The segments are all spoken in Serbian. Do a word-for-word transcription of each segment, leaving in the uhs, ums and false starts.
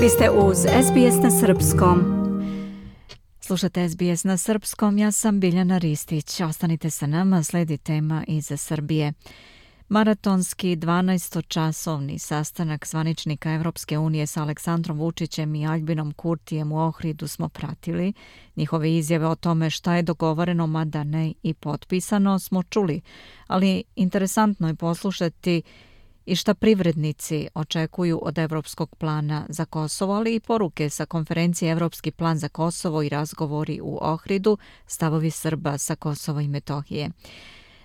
Vi ste uz S B S na srpskom. Slušate S B S na srpskom, ja sam Biljana Ristić. Ostanite sa nama, sledi tema iz Srbije. Maratonski dvanaestočasovni sastanak zvaničnika Evropske unije sa Aleksandrom Vučićem i Aljbinom Kurtijem u Ohridu smo pratili. Njihove izjave o tome šta je dogovoreno, mada ne i potpisano, smo čuli. Ali interesantno je poslušati i šta privrednici očekuju od Evropskog plana za Kosovo, ali i poruke sa konferencije Evropski plan za Kosovo i razgovori u Ohridu, stavovi Srba sa Kosova i Metohije.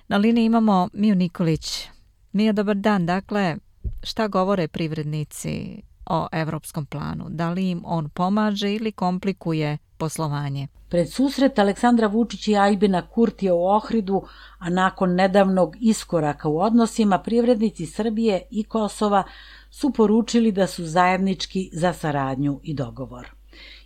Na liniji imamo Miju Nikolić. Mija, dobar dan. Dakle, šta govore privrednici o Evropskom planu? Da li im on pomaže ili komplikuje poslovanje? Pred susret Aleksandra Vučića i Aljbina Kurtija u Ohridu, a nakon nedavnog iskoraka u odnosima, privrednici Srbije i Kosova su poručili da su zajednički za saradnju i dogovor.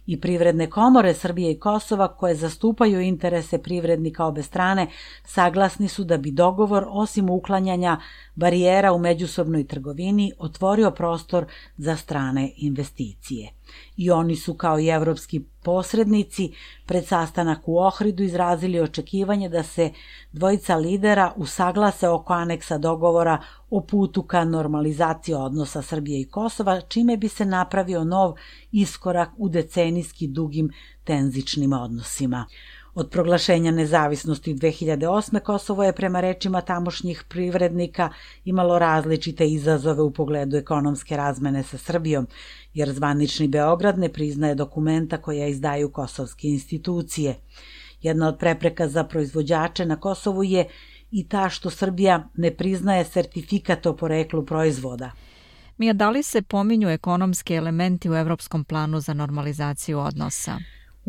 I privredne komore Srbije i Kosova, koje zastupaju interese privrednika obe strane, saglasni su da bi dogovor, osim uklanjanja barijera u međusobnoj trgovini, otvorio prostor za strane investicije. I oni su, kao i evropski posrednici, pred sastanak u Ohridu izrazili očekivanje da se dvojica lidera usaglase oko aneksa dogovora o putu ka normalizaciji odnosa Srbije i Kosova, čime bi se napravio nov iskorak u decenijski dugim tenzičnim odnosima. Od proglašenja nezavisnosti dve hiljade osme Kosovo je, prema rečima tamošnjih privrednika, imalo različite izazove u pogledu ekonomske razmene sa Srbijom, jer zvanični Beograd ne priznaje dokumenta koja izdaju kosovske institucije. Jedna od prepreka za proizvođače na Kosovu je i ta što Srbija ne priznaje sertifikat o poreklu proizvoda. Mija, da li se pominju ekonomski elementi u Evropskom planu za normalizaciju odnosa?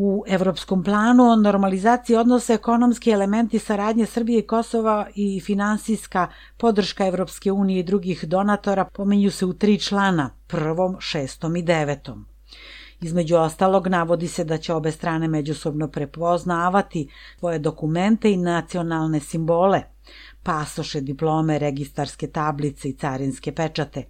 U Evropskom planu o normalizaciji odnosa ekonomski elementi saradnje Srbije i Kosova i finansijska podrška Evropske unije i drugih donatora pominju se u tri člana, prvom, šestom i devetom. Između ostalog, navodi se da će obe strane međusobno prepoznavati svoje dokumente i nacionalne simbole, pasoše, diplome, registarske tablice i carinske pečate,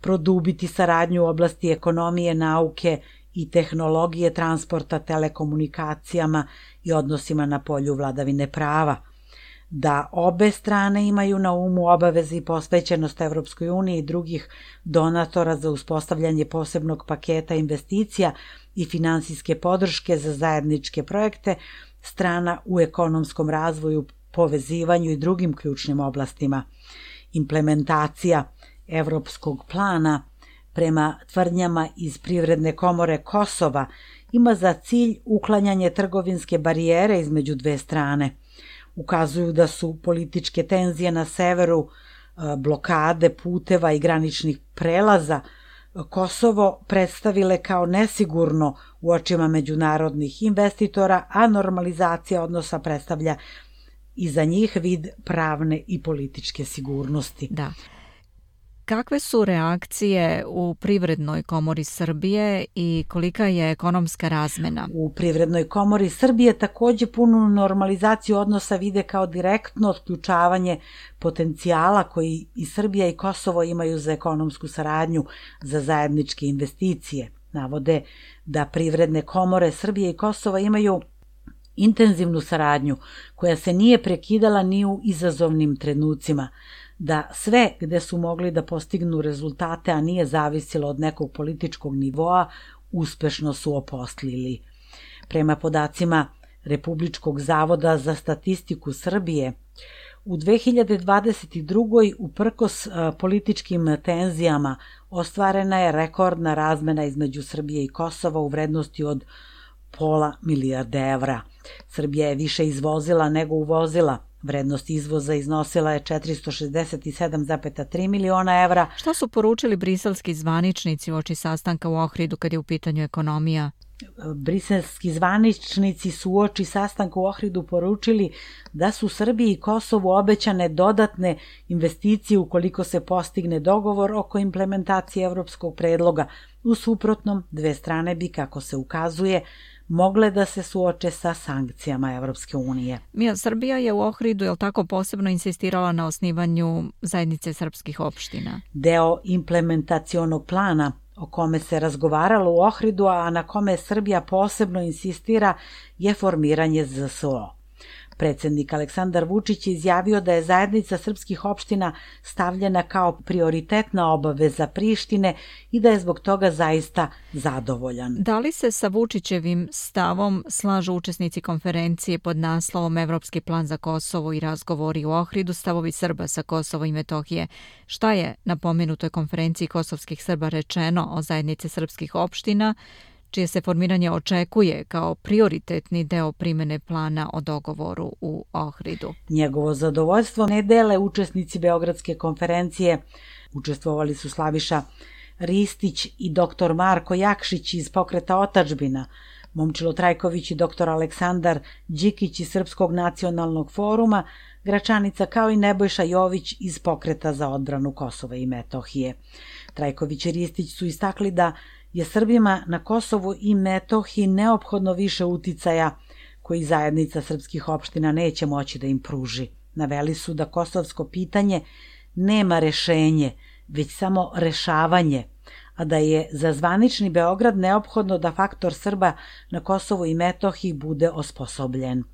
produbiti saradnju u oblasti ekonomije, nauke i tehnologije, transporta, telekomunikacijama i odnosima na polju vladavine prava, da obe strane imaju na umu obaveze i posvećenost Evropskoj uniji i drugih donatora za uspostavljanje posebnog paketa investicija i finansijske podrške za zajedničke projekte strana u ekonomskom razvoju, povezivanju i drugim ključnim oblastima. Implementacija Evropskog plana, prema tvrdnjama iz Privredne komore Kosova, ima za cilj uklanjanje trgovinske barijere između dve strane. Ukazuju da su političke tenzije na severu, blokade puteva i graničnih prelaza Kosovo predstavile kao nesigurno u očima međunarodnih investitora, a normalizacija odnosa predstavlja i za njih vid pravne i političke sigurnosti. Da. Kakve su reakcije u Privrednoj komori Srbije i kolika je ekonomska razmena? U Privrednoj komori Srbije takođe punu normalizaciju odnosa vide kao direktno otključavanje potencijala koji i Srbija i Kosovo imaju za ekonomsku saradnju, za zajedničke investicije. Navode da Privredne komore Srbije i Kosova imaju intenzivnu saradnju koja se nije prekidala ni u izazovnim trenucima, da sve gde su mogli da postignu rezultate, a nije zavisilo od nekog političkog nivoa, uspešno su oposlili. Prema podacima Republičkog zavoda za statistiku Srbije, u dve hiljade dvadeset drugoj uprkos političkim tenzijama ostvarena je rekordna razmena između Srbije i Kosova u vrednosti od pola milijarde evra. Srbija je više izvozila nego uvozila. Vrednost izvoza iznosila je četiristo šezdeset sedam zarez tri miliona evra. Šta su poručili briselski zvaničnici uoči sastanka u Ohridu kad je u pitanju ekonomija? Briselski zvaničnici su uoči sastanka u Ohridu poručili da su Srbiji i Kosovu obećane dodatne investicije ukoliko se postigne dogovor oko implementacije evropskog predloga. U suprotnom, dve strane bi, kako se ukazuje, mogle da se suoče sa sankcijama Evropske unije. Mija, Srbija je u Ohridu, je li tako, posebno insistirala na osnivanju zajednice srpskih opština? Deo implementacionog plana o kome se razgovaralo u Ohridu, a na kome Srbija posebno insistira, je formiranje Z S O. Predsjednik Aleksandar Vučić je izjavio da je zajednica srpskih opština stavljena kao prioritetna obaveza Prištine i da je zbog toga zaista zadovoljan. Da li se sa Vučićevim stavom slažu učesnici konferencije pod naslovom Evropski plan za Kosovo i razgovori u Ohridu, stavovi Srba sa Kosova i Metohije? Šta je na pomenutoj konferenciji kosovskih Srba rečeno o zajednici srpskih opština, čije se formiranje očekuje kao prioritetni deo primjene plana o dogovoru u Ohridu? Njegovo zadovoljstvo ne dele učesnici Beogradske konferencije. Učestvovali su Slaviša Ristić i doktor Marko Jakšić iz Pokreta Otadžbina, Momčilo Trajković i doktor Aleksandar Đikić iz Srpskog nacionalnog foruma, Gračanica, kao i Nebojša Jović iz Pokreta za odbranu Kosova i Metohije. Trajković i Ristić su istakli da je Srbima na Kosovu i Metohiji neophodno više uticaja koji zajednica srpskih opština neće moći da im pruži. Naveli su da kosovsko pitanje nema rešenje, već samo rešavanje, a da je za zvanični Beograd neophodno da faktor Srba na Kosovu i Metohiji bude osposobljen.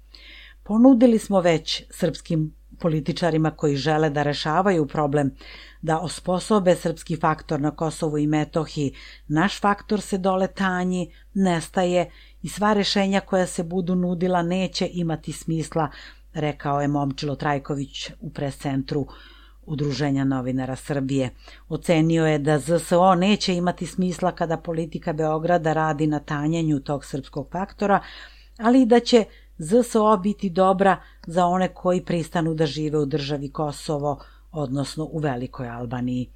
Ponudili smo već srpskim političarima koji žele da rešavaju problem, da osposobe srpski faktor na Kosovu i Metohiji. Naš faktor se dole tanji, nestaje i sva rešenja koja se budu nudila neće imati smisla, rekao je Momčilo Trajković u pres-centru Udruženja novinara Srbije. Ocenio je da Z S O neće imati smisla kada politika Beograda radi na tanjanju tog srpskog faktora, ali i da će Z S O biti dobra za one koji pristanu da žive u državi Kosovo, odnosno u Velikoj Albaniji.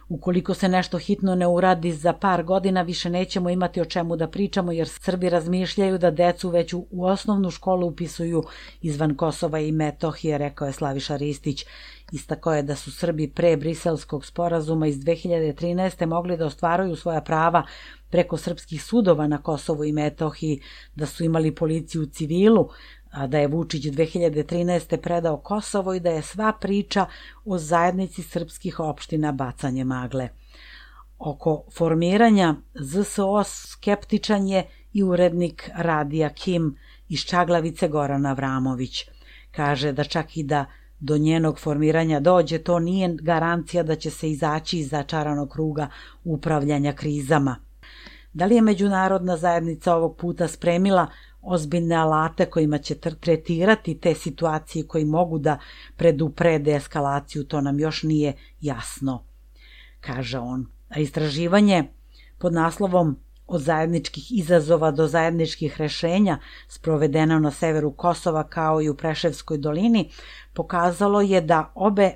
Ukoliko se nešto hitno ne uradi, za par godina više nećemo imati o čemu da pričamo, jer Srbi razmišljaju da decu već u osnovnu školu upisuju izvan Kosova i Metohije, rekao je Slaviša Ristić. Istakao je da su Srbi pre Briselskog sporazuma iz dve hiljade trinaeste. mogli da ostvaruju svoja prava preko srpskih sudova na Kosovu i Metohiji, da su imali policiju u civilu, a da je Vučić dve hiljade trinaeste. predao Kosovo i da je sva priča o zajednici srpskih opština bacanje magle. Oko formiranja Z S O skeptičan je i urednik radija Kim iz Čaglavice Goran Avramović. Kaže da čak i da do njenog formiranja dođe, to nije garancija da će se izaći iz začaranog kruga upravljanja krizama. Da li je međunarodna zajednica ovog puta spremila ozbiljne alate kojima će tretirati te situacije koji mogu da preduprede eskalaciju, to nam još nije jasno, kaže on. A istraživanje pod naslovom Od zajedničkih izazova do zajedničkih rešenja, sprovedeno na severu Kosova kao i u Preševskoj dolini, pokazalo je da obe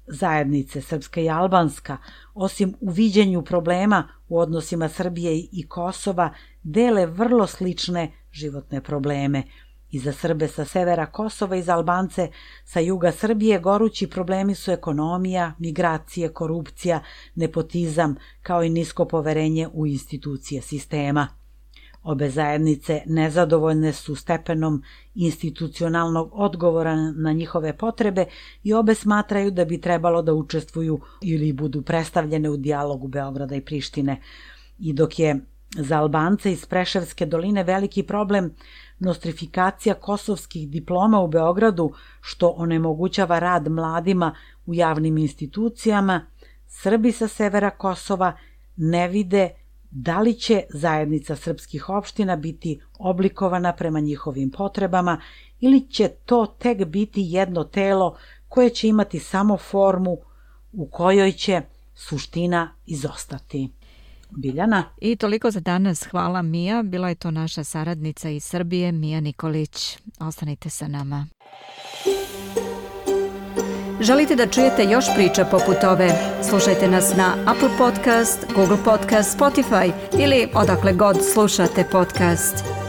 zajednice, srpska i albanska, osim u viđenju problema u odnosima Srbije i Kosova, dele vrlo slične životne probleme. I za Srbe sa severa Kosova i za Albance sa juga Srbije gorući problemi su ekonomija, migracije, korupcija, nepotizam, kao i nisko poverenje u institucije sistema. Obe zajednice nezadovoljne su stepenom institucionalnog odgovora na njihove potrebe i obe smatraju da bi trebalo da učestvuju ili budu predstavljene u dijalogu Beograda i Prištine. I dok je za Albance iz Preševske doline veliki problem nostrifikacija kosovskih diploma u Beogradu, što onemogućava rad mladima u javnim institucijama, Srbi sa severa Kosova ne vide da li će zajednica srpskih opština biti oblikovana prema njihovim potrebama ili će to tek biti jedno telo koje će imati samo formu u kojoj će suština izostati. Biljana. I toliko za danas. Hvala, Mija. Bila je to naša saradnica iz Srbije, Mija Nikolić. Ostanite sa nama. Želite da čujete još priča poput ove? Slušajte nas na Apple Podcast, Google Podcast, Spotify ili odakle god slušate podcast.